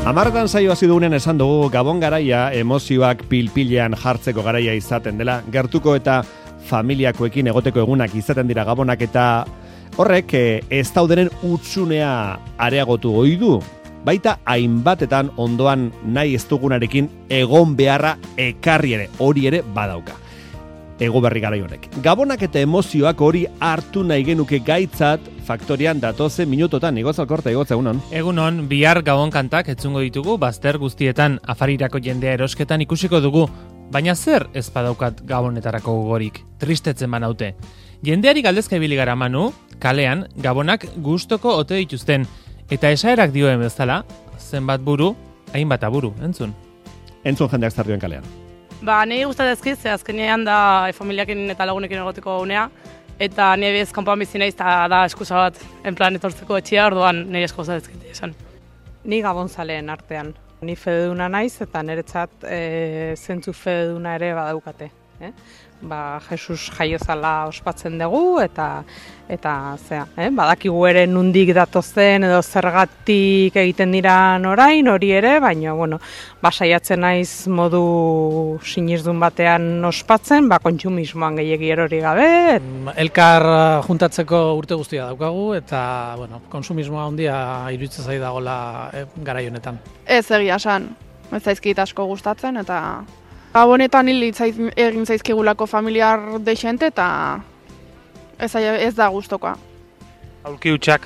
Hamarretan saio hasi dugunen esan dugu Gabon garaia emozioak pilpilean jartzeko garaia izaten dela. Gertuko eta familiakoekin egoteko egunak izaten dira Gabonak eta horrek ez daudenen utsunea areagotu ohi du. Baita hainbatetan ondoan nahi ez dugunarekin egon beharra ekarri ere, hori ere badauka. Ego berri garai honek. Gabonak eta emozioak hori hartu nahi genuke gaitzat faktorian datoze minutotan. Igotz Alkorta, igotz egunon. Egunon, bihar Gabon kantak etzungo ditugu, bazter guztietan afarirako jendea erosketan ikusiko dugu. Baina zer ez badaukat Gabonetarako gogorik, tristetzen banaute. Jendeari galdezka ibili gara Manu, kalean, Gabonak gustoko ote dituzten. Eta esaerak dioen bezala, zenbat buru, hainbat aburu, entzun. Entzun jendeak zardioen kalean. Niri gustatezkiz, azkenean da familiakin eta lagunekin egoteko unea, eta nire bez kanpoan bizi naiz eta da eskusa bat, en plan etortzeko etxea, orduan nire esko gustatezkit esan. Ni Gabonzaleen artean. Ni fededuna naiz eta niretzat zentzu fededuna ere badaukate. Jesus jaiozala ospatzen dugu eta badakigu ere nundik datozen edo zergatik egiten diran orain, hori ere, baina saiatzen naiz modu sinizdun batean ospatzen, kontsumismoan gehiegi erori gabe. Elkar juntatzeko urte guztia daukagu eta konsumismoa handia iruditzen zai dagoela garai honetan. Ez egia esan, ez zaizkit asko gustatzen eta Gabonetan egin zaizkigulako familiar dexente eta ez da gustokoa. Aulki hutsak.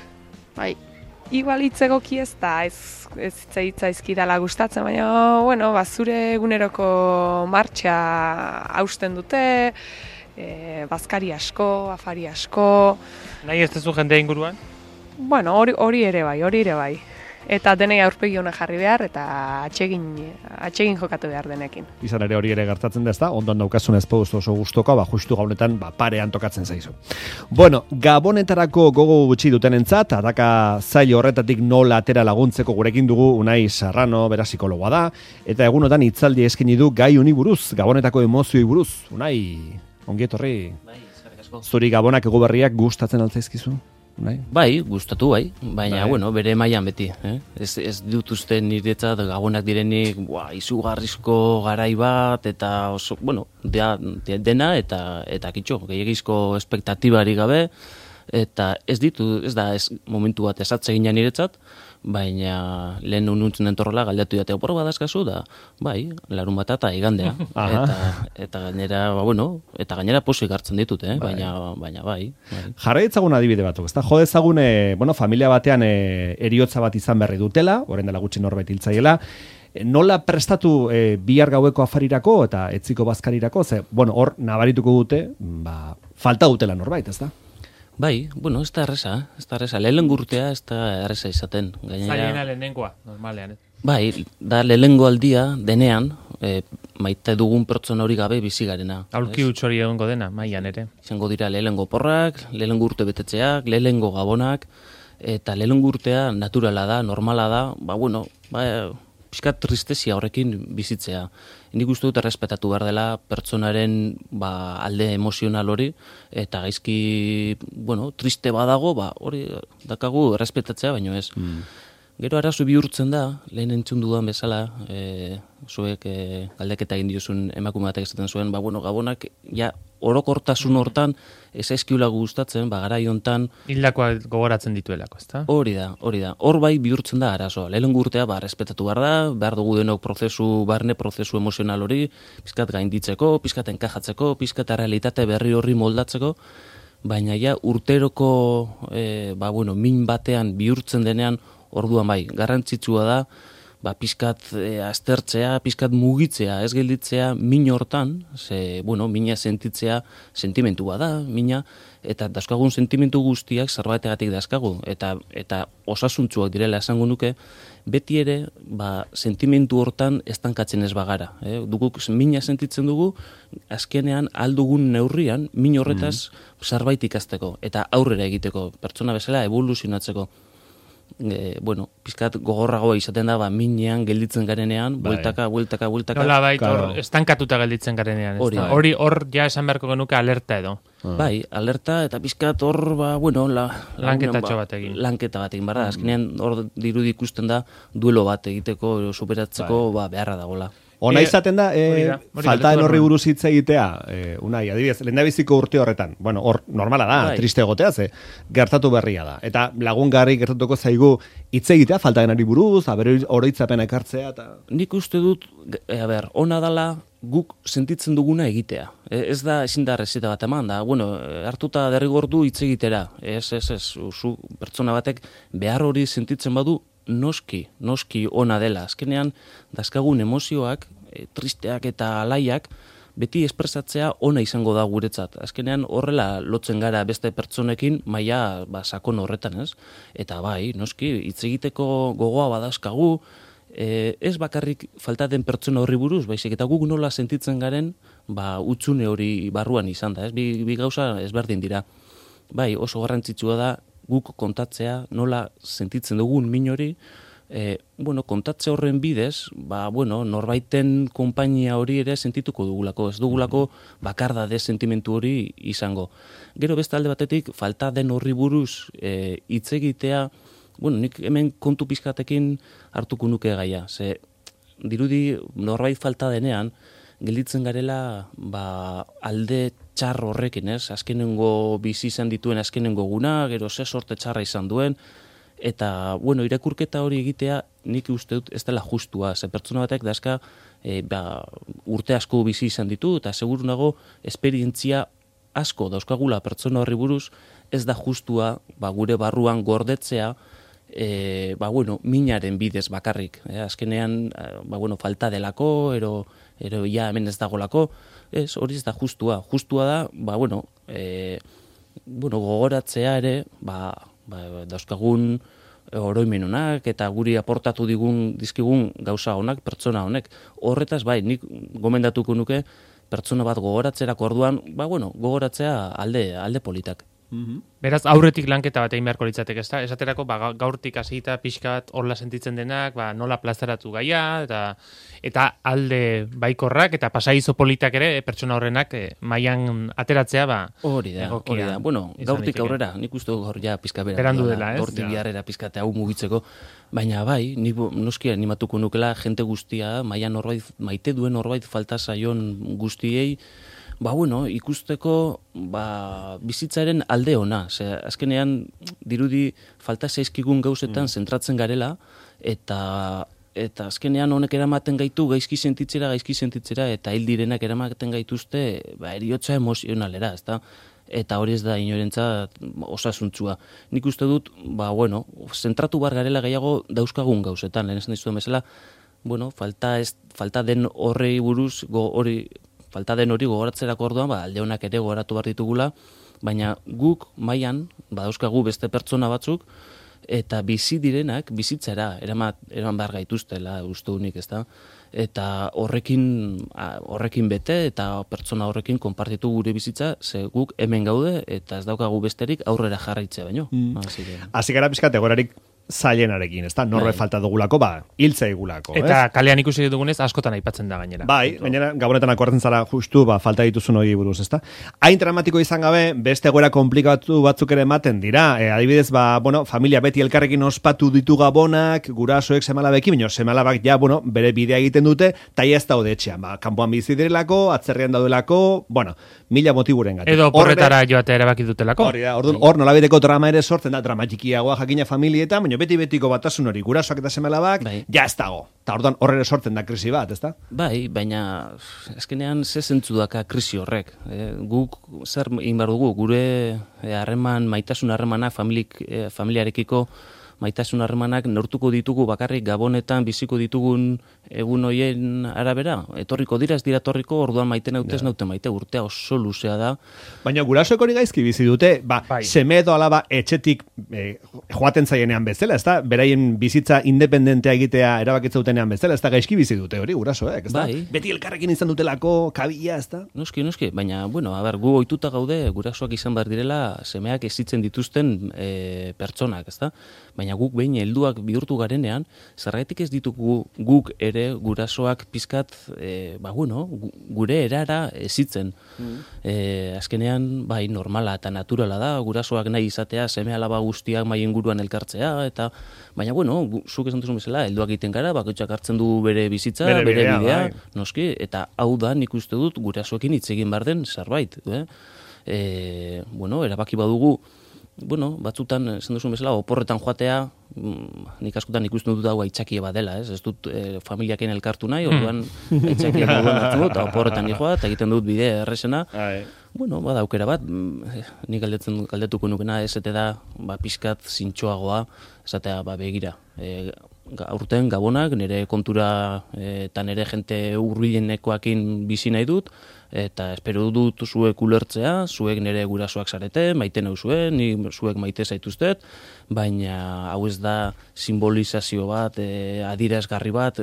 Bai. Igual hitzegoki ez da, ez zaizkidala gustatzen, baina, zure eguneroko martxa hausten dute, bazkari asko, afari asko. Nahi ez tezu jendea inguruan? Hori ere bai. Eta denei aurpegi hona jarri behar eta atsegin jokatu behar denekin. Izan ere hori ere gertatzen da, ezta? Ondoan daukazun ezpoduz oso gustoka, justu Gabonetan parean tokatzen zaizu. Gabonetarako gogo gutxi dutenentzat, ataka zailo horretatik nola atera laguntzeko gurekin dugu Unai Serrano, bera psikologoa da, eta egunotan hitzaldi eskaini du gai honi buruz, Gabonetako emozioi buruz. Unai, ongi etorri. Bai, eskerrik asko. Zuri Gabonak ego berriak gustatzen altzaizkizu? Bai, gustatu baina bere mailan beti. Ez dut uste niretzat Gabonak direnik izugarrizko garai bat, eta oso, dena eta kitxo, gehiagizko espektatibari gabe, eta ez da momentu bat esatze ginen niretzat, baina lehen ununtzen entorrela galdatu jateo porro badazkazu da, larun bat eta igandea. Eta gainera, eta gainera pozik hartzen ditut, baina bai. Jarra ditzagun adibide batuk, ezta? Jo dezagun, familia batean eriotza bat izan berri dutela, orain dela gutxi norbait hiltzaiela, nola prestatu bihar gaueko afarirako eta etziko bazkarirako, hor nabarituko dute, falta dutela norbait, ezta? Bai, ez da erresa, lehenengo urtea ez da erresa izaten. Zailena lehenengoa, normalean. Bai, da lehenengo aldia denean, maite dugun pertsona hori gabe bizi garena. Aulki huts hori egongo dena, mailan ere. Izango dira lehenengo porrak, lehenengo urte betetzeak, lehenengo Gabonak, eta lehenengo urtea naturala da, normala da, pixkat tristezia horrekin bizitzea. Nik uste dut errespetatu behar dela pertsonaren alde emozional hori, eta gaizki, triste badago, hori dakagu errespetatzea, baino ez. Gero arazo bihurtzen da, lehen entzun dudan bezala, zuek galdeketa egin diozun emakume batek esaten zuen, Gabonak orokortasun hortan ez aizkiula gustatzen, garai hontan hildakoak gogoratzen dituelako, ezta? Hori da. Hor bai bihurtzen da arazoa. Lehenengo urtea respetatu behar dugu denok barne prozesu emozional hori, pizkat gainditzeko, pizkat enkajatzeko, pizkat realitate berri horri moldatzeko, baina urteroko min batean bihurtzen denean, orduan garrantzitsua da, pizkat aztertzea, pizkat mugitzea, ez gelditzea min hortan, mina sentitzea sentimentua da, mina, eta dauzkagun sentimentu guztiak zerbaitegatik dauzkagu, eta osasuntzuak direla esango nuke, beti ere, sentimentu hortan estankatzen ez bagara. Duguk mina sentitzen dugu, azkenean aldugun neurrian, min horretaz zerbait ikasteko, eta aurrera egiteko, pertsona bezala evoluzionatzeko. Pizkat gogorragoa izaten da, minean gelditzen garenean, bueltaka. Nola estankatuta gelditzen garenean. Hori ja esan beharko genuke alerta edo. Bai, alerta eta pizkat hor, lanketatxo bat egin. Lanketa bat egin, barra. Azkenean hor dirudi ikusten da duelo bat egiteko, superatzeko, beharra dagoela. Ona izaten da, faltaden horri buruz hitz egitea, Unai, adibidez, lehendabiziko urte horretan, bueno, hor normala da, triste egotea, ze gertatu berria da. Eta lagungarri gertatuko zaigu hitz egitea, faltadenari buruz, oroitzapen ekartzea, eta... Nik uste dut, ona dala guk sentitzen duguna egitea. Ez da, ezin da rezeta bat eman, da, hartuta derrigordu hitz egitera. Ez, pertsona batek behar hori sentitzen badu, noski ona dela. Azkenean, dazkagun emozioak, tristeak eta alaiak, beti espresatzea ona izango da guretzat. Azkenean, horrela lotzen gara beste pertsonekin, maila sakon horretan, ez? Eta noski, hitz egiteko gogoa badazkagu, ez bakarrik falta den pertsona horri buruz, baizik eta guk nola sentitzen garen, utzune hori barruan izan da, ez? Bi gauza ezberdin dira. Oso garrantzitsua da, guk kontatzea, nola sentitzen dugun min hori, kontatze horren bidez, norbaiten konpainia hori ere sentituko dugulako, ez dugulako bakardade sentimentu hori izango. Gero beste alde batetik, falta den horri buruz hitz egitea, nik hemen kontu pizkatekin hartuko nuke gaia, ze dirudi norbait falta denean, gelditzen garela alde txar horrekin, ez? Azkenengo bizi izan dituen azkenengo guna, gero ze sorte txarra izan duen, eta, irakurketa hori egitea nik uste dut ez dela justua, ze pertsona batek dazka urte asko bizi izan ditu, eta seguru nago esperientzia asko dauzkagula pertsona horri buruz, ez da justua gure barruan gordetzea, minaren bidez bakarrik. Azkenean, falta delako, ero hemen ez dagolako, hori ez da justua. Justua da, gogoratzea ere, dauzkagun oroimenunak eta guri aportatu dizkigun gauza honak, pertsona honek. Horretaz, nik gomendatuko nuke, pertsona bat gogoratzerako orduan, gogoratzea alde politak. Beraz, aurretik lanketa bat egin beharko litzateke, ezta? Esaterako, gaurtik hasita pixka bat horla sentitzen denak, nola plazaratu gaia, eta alde baikorrak, eta pasaizo politak ere, pertsona horrenak mailan ateratzea, hori da. Gaurtik aurrera, nik uste gaur ja pizka bera. Berandu dela, ez? Gaurtik biharrera pizkate hau mugitzeko, baina nik noski animatuko nukela jente guztia, mailan norbait, maite duen norbait falta zaion guztiei, ikusteko bizitzaren alde ona. Azkenean, dirudi falta zaizkigun gauzetan zentratzen garela, eta azkenean honek eramaten gaitu gaizki sentitzera, eta hil direnak eramaten gaituzte eriotza emozionalera, ezta? Eta hori ez da inorentzat osasuntzua. Nik uste dut, zentratu bar garela gehiago dauzkagun gauzetan, lehen ez nahi zuen bezala, falta den horrei buruz, falta den hori gogoratzerako orduan, alde honak ere gogoratu behar ditugula, baina guk mailan badauzkagu beste pertsona batzuk, eta bizi direnak bizitzera eraman behar gaituztela uste unik, ezta? Eta horrekin bete, eta pertsona horrekin konpartitu gure bizitza, ze guk hemen gaude, eta ez daukagu besterik aurrera jarraitzea baino. Hasi gara pizkate gorarik zailenarekin, ezta? Norbe falta dugulako, hiltza egulako, ez? Eta kalean ikusi dugunez askotan aipatzen da gainera. Gainera, gabonetan akortzen zara justu, falta dituzun hori buruz, ezta? Hain dramatiko izan gabe, beste egoera komplikatu batzuk ere ematen dira. Adibidez, familia beti elkarrekin ospatu ditu gabonak, gurasoek semalabekin, baina semalabak bere bidea egiten dute, eta ez daude etxean. Kanpoan bizi direlako, atzerrian daudelako, mila motiburen gatik. Edo porretara joatea erabaki dutelako. Hor nolabideko drama ere sortzen da, drama txikiagoa jakina familietan, baina beti-betiko batasun hori, gurasoak eta semelabak, ja ez dago. Eta orduan horre sortzen da krisi bat, ezta? Baina azkenean ze zentzu daka krisi horrek. Guk zer egin behar dugu, gure maitasun harremanak, familiarekiko maitasun harremanak neurtuko ditugu bakarrik gabonetan biziko ditugun egun hoien arabera. Etorriko dira, ez dira etorriko, orduan maite nautez naute maite, urtea oso luzea da. Baina gurasoek hori gaizki bizi dute, seme edo alaba etxetik joaten zaienean bezala, ez da? Beraien bizitza independentea egitea erabakitza bezala, ez da gaizki bizi dute hori gurasoek, ez da? Beti elkarrekin izan dutelako, kabila, ez da? Noski, baina, gu ohituta gaude, gurasoak izan behar direla, semeak ezitzen dituzten pertsonak, ez da? Baina baina guk behin helduak bihurtu garenean, zergatik ez ditugu guk ere gurasoak pizkat, gure erara ezitzen. Azkenean, bai, normala eta naturala da, gurasoak nahi izatea, seme alaba guztiak mai inguruan elkartzea, eta baina, zuk esan duzun bezala, helduak egiten gara, bakoitzak hartzen du bere bizitza, bere bidea, noski, eta hau da nik uste dut gurasoekin hitz egin behar den zerbait. Erabaki badugu, batzutan, esan duzun bezala, oporretan joatea, nik askotan ikusten dut hau aitzakia badela, ez dut familiaken elkartu nahi, orduan aitzakia moduan hartu dut, eta oporretan joa, eta egiten dut bidea errezena, bada aukera bat, nik galdetuko nukena, esete da, pixkat zintxoagoa, esatea, begira, aurten gabonak, nire kontura eta nire jente hurbilenekoekin bizi nahi dut, eta espero dut zuek ulertzea, zuek nire gurasoak zarete, maite nauzue, ni zuek maite zaituztet, baina hau ez da simbolizazio bat, adierazgarri bat,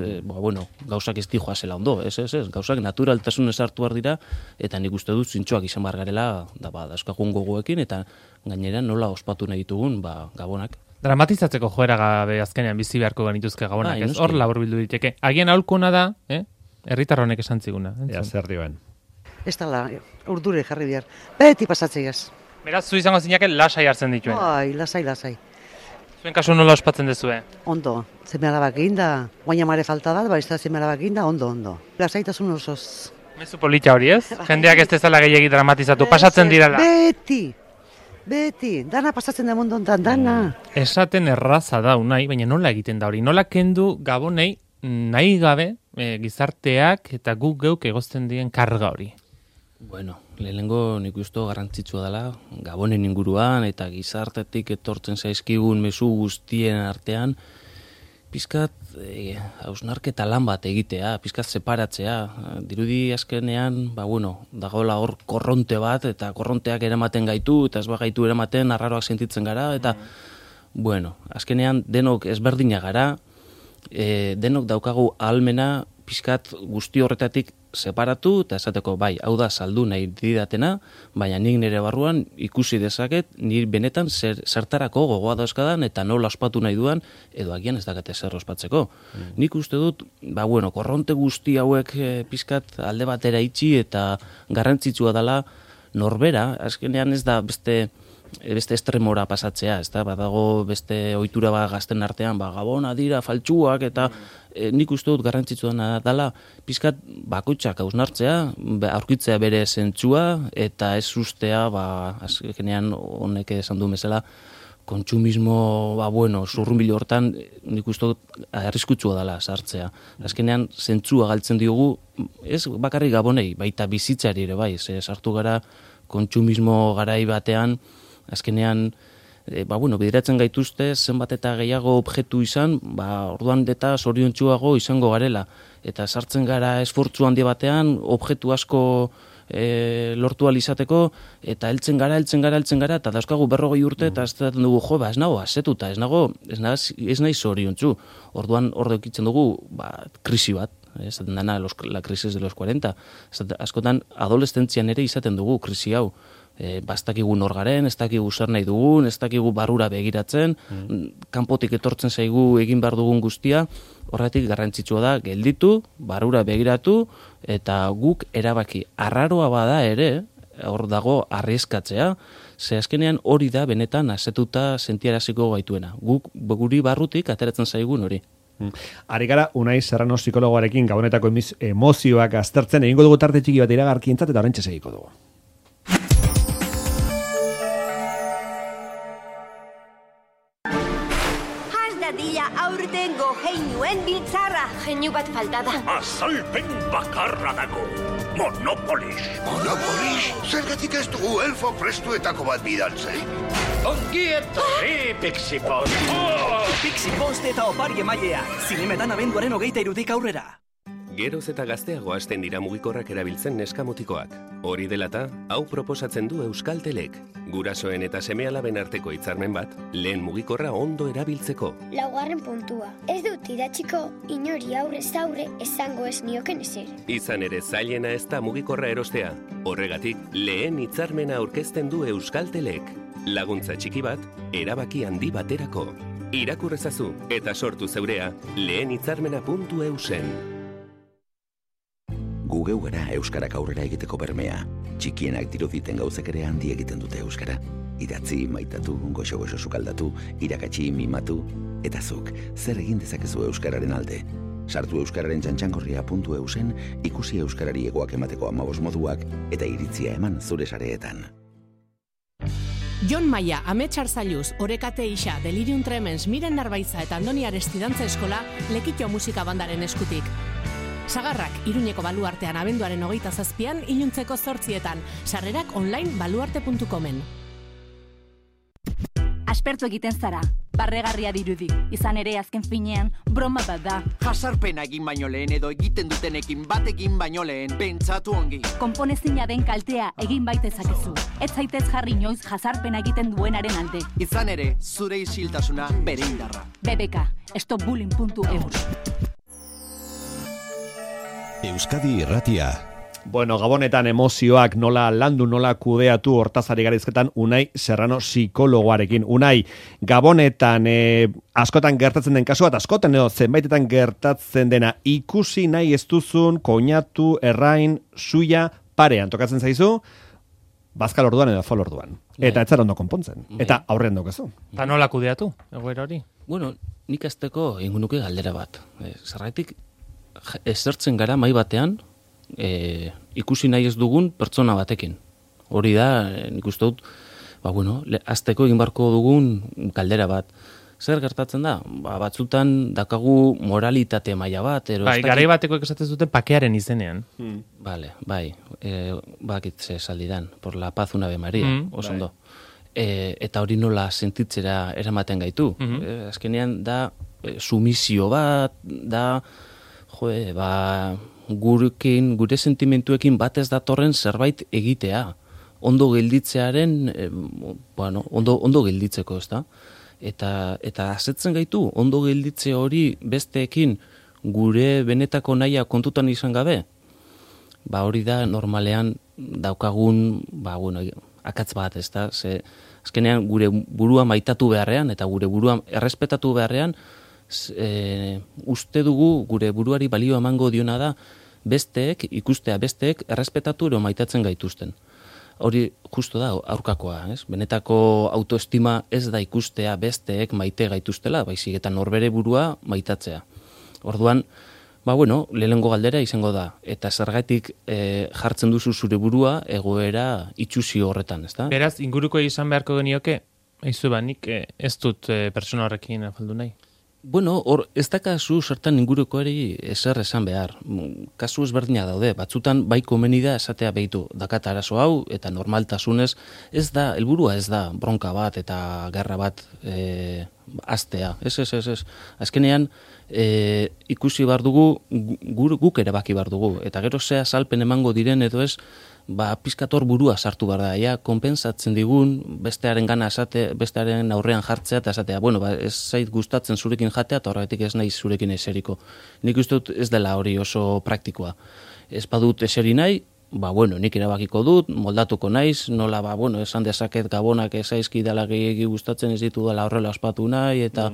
gauzak ez dijoa zela ondo, ez, gauzak naturaltasunez hartu behar dira, eta nik uste dut zintxoak izan behar garela, dauzkagun gogoekin, eta gainera nola ospatu nahi ditugun, gabonak. Dramatizatzeko joera gabe azkenean bizi beharko genituzke gabonak, ez? Hor laburbildu diteke. Agian aholkuna da, herritar honek esan ziguna. Zer dioen. Ez dala, urdure jarri behar. Beti pasatzeiaz. Beraz, zu izango zinake lasai hartzen dituen. Lasai. Zuen kasu nola ospatzen dezue? Ondo, zeme alabak eginda, guaina mare falta da, ez da zeme alabak eginda, ondo. Lasaitasun osoz. Mezu polita hori ez? Jendeak ez dezala gehiagi dramatizatu, pasatzen dirala. Beti, dana pasatzen da mundu ontan, dana. Esaten erraza da unai, baina nola egiten da hori? Nola kendu gabonei nahi gabe gizarteak eta guk geuk egozten dien karga hori? Lehenengo nik uste garrantzitsua dela, gabonen inguruan eta gizartetik etortzen zaizkigun mezu guztien artean, pizkat hausnarketa lan bat egitea, pizkat separatzea. Dirudi azkenean, dagoela hor korronte bat, eta korronteak eramaten gaitu, eta ez gaitu eramaten arraroak sentitzen gara, eta, azkenean denok ezberdina gara, denok daukagu ahalmena pizkat guzti horretatik separatu, eta esateko, hau da saldu nahi didatena, baina nik nire barruan ikusi dezaket, nire benetan zertarako gogoa dauzkadan, eta nola ospatu nahi duan, edo agian ez dakate zer ospatzeko. Nik uste dut, korronte guzti hauek pizkat alde batera itxi, eta garrantzitsua dela norbera, azkenean ez da beste estremora pasatzea, ez da, badago beste ohitura gazten artean, gabona dira, faltsuak, eta nik uste dut garrantzitsua dela, pizkat bakoitzak hausnartzea, aurkitzea bere zentzua, eta ez ustea, azkenean honek esan du bezala, kontsumismo, zurrunbilo hortan, nik uste dut arriskutsua dela sartzea. Azkenean, zentzua galtzen diogu, ez bakarrik gabonei, baita bizitzari ere bai, sartu gara kontsumismo garai batean, azkenean, bideratzen gaituzte, zenbat eta gehiago objektu izan, orduan eta zoriontsuago izango garela. Eta sartzen gara esfortzu handi batean, objektu asko lortu alizateko, eta heltzen gara, eta dauzkagu 40 urte, eta ez dugu, ez nago asetuta, ez nahi zoriontsu. Orduan hor daukitzen dugu, krisi bat, esaten dana la crisis de los 40. Askotan, adolescentzian ere izaten dugu krisi hau. Ez dakigu nor garen, ez dakigu zer nahi dugun, ez dakigu barrura begiratzen, kanpotik etortzen zaigu egin behar dugun guztia, horretik garrantzitsua da gelditu, barrura begiratu, eta guk erabaki arraroa bada ere, hor dago arrieskatzea, ze azkenean hori da benetan asetuta sentiaraziko gaituena. Guk guri barrutik ateratzen zaigun hori. Ari gara, Unai Serrano psikologoarekin gabonetako emozioak aztertzen, egingo dugu tarte txiki bat iragarkientzat eta oraintxe segiko dugu. Aurtengo heinuen biltzarra. Heinu bat falta da. Azalpen bakarra dago. Monopolis. Monopolis? Zergatik ez dugu elfo prestuetako bat bidaltzei? Ongi etorri, Pixipost. Pixipost eta opari emailea. Zinemetan abenduaren 23 aurrera. Geroz eta gazteago hasten dira mugikorrak erabiltzen neskamotikoak. Hori delata, hau proposatzen du Euskaltelek. Gurasoen eta seme-alaben arteko hitzarmen bat, lehen mugikorra ondo erabiltzeko. 4. puntua. Ez dut idatziko, inori aurrez aurre esango ez nioken ezer. Izan ere zailena ez da mugikorra erostea. Horregatik, lehen hitzarmena aurkezten du Euskaltelek. Laguntza txiki bat, erabaki handi baterako. Irakurrezazu eta sortu zeurea lehenhitzarmena.eusen. Gu geu gara euskarak aurrera egiteko bermea. Txikienak diruditen gauzek ere handi egiten dute euskara. Idatzi, maitatu, goxo-goxo sukaldatu, irakatsi, mimatu, eta zuk, zer egin dezakezu euskararen alde. Sartu euskararen txantxangorria.eusen, ikusi euskarari egoak emateko 15 moduak, eta iritzia eman zure sareetan. Jon Maia, Amets Arzailuz, Orekate Isa, Delirium Tremens, Miren Narbaiza eta Andoni Aresti Dantza Eskola, Lekitxo Musika Bandaren eskutik. Sagarrak, Iruñeko Baluartean abenduaren 27an, iluntzeko 8etan. Sarrerak online baluarte.comen. Aspertu egiten zara, barregarria dirudi. Izan ere azken finean, broma bat da. Jasarpena egin baino lehen edo egiten dutenekin bat egin baino lehen, pentsatu ongi. Konponezina den kaltea egin baitezakezu. Ez zaitez jarri inoiz jasarpena egiten duenaren alde. Izan ere, zure isiltasuna bere indarra. BBK, stopbullying.eus. Euskadi Irratia. Bueno, Gabonetan emozioak nola landu, nola kudeatu hortazari garizketan Unai Serrano psikologoarekin. Unai, Gabonetan askotan gertatzen den kasua, eta askotan edo zenbaitetan gertatzen dena ikusi nahi ez duzun, koinatu, errain, suia, parean tokatzen zaizu, bazkal orduan edo fol orduan. Eta ez zara ondo konpontzen. Eta aurrean daukazu. Eta nola kudeatu, egoera hori? Bueno, nik azteko ingunuke galdera bat. Zerraitik, ezertzen gara mai batean, ikusi nahi ez dugun pertsona batekin. Hori da, nik uste dut, azteko egin barko dugun galdera bat. Zer gertatzen da? Batzutan dakagu moralitate maila bat. Garai bateko esaten duten pakearen izenean. Bai, bakit ze saldidan, por la paz una Ave Maria, osondo. Eta hori nola sentitzera eramaten gaitu. Azkenean da, sumisio bat, da, gure sentimentuekin bat ez datorren zerbait egitea. Ondo gelditzearen, ondo gelditzeko, ez da? Eta asetzen gaitu, ondo gelditze hori besteekin gure benetako nahia kontutan izan gabe, hori da normalean daukagun, akatz bat, ez da? Azkenean gure burua maitatu beharrean eta gure burua errespetatu beharrean, uste dugu gure buruari balio emango diona da ikustea besteek errespetatu ero maitatzen gaituzten. Hori justo da aurkakoa, ez? Benetako autoestima ez da ikustea besteek maite gaituztela, baizik eta norbere burua maitatzea. Orduan, lehenengo galdera izango da, eta zergatik jartzen duzu zure burua egoera itxusi horretan, ez da? Beraz, inguruko izan beharko genioke, nik ez dut persona horrekin afaldu nahi. Ez dakazu zertan ingurukoari ezer esan behar. Kasu ezberdina daude, batzutan bai komeni da esatea behitu dakat arazo hau, eta normaltasunez ez da, helburua ez da bronka bat eta gerra bat aztea. Ez. Azkenean, ikusi behar dugu, guk ere baki behar dugu, eta gero zea salpen emango diren edo ez, pizkator burua sartu behar da, konpensatzen digun, bestearen gana esate, bestearen aurrean jartzea, eta esatea, ez zait gustatzen zurekin jatea, eta horretik ez nahi zurekin eseriko. Nik uste dut ez dela hori oso praktikoa. Ez badut eseri nahi, nik erabakiko dut, moldatuko naiz, nola, esan dezaket Gabonak ezaizki dela gehiagi gustatzen ez ditu dela horrela ospatu nahi, eta,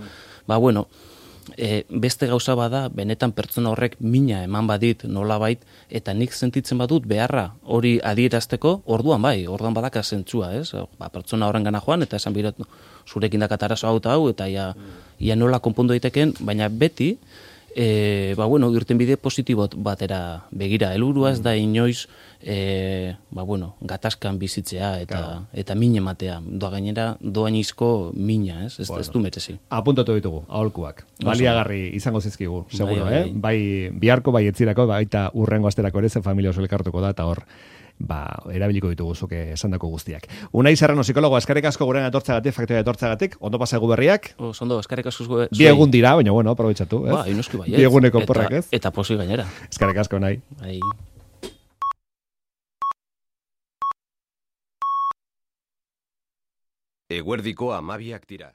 beste gauza bada, benetan pertsona horrek mina eman badit nolabait, eta nik sentitzen badut beharra hori adierazteko, orduan badaka zentzua, ez? Pertsona horren gana joan, eta esan birat, zurekin dakat arazo hau, eta ia nola konpondu daiteken, baina beti, irten bide positibot batera begira. Helburua ez da inoiz, gatazkan bizitzea eta min ematea. Gainera, doainizko mina, ez du merezi. Apuntatu ditugu, aholkuak. Baliagarri izango zizkigu, seguro, bai biharko, bai etzirako, bai eta urrengo asterako ere, ze familia oso elkartuko da, eta hor, erabiliko ditugu zuke esandako guztiak. Unai Serrano, psikologo, eskerrik asko gurean etortzagatik, faktoria etortzagatik, ondo pasaigu berriak. Ondo, eskerrik asko zuei. Bi egun dira, baina aprobetxatu, ez? Inoski baiet. Bi eguneko porrak, ez? Eta posi gainera. Eskerrik asko, Unai. Eguerdiko 12 dira.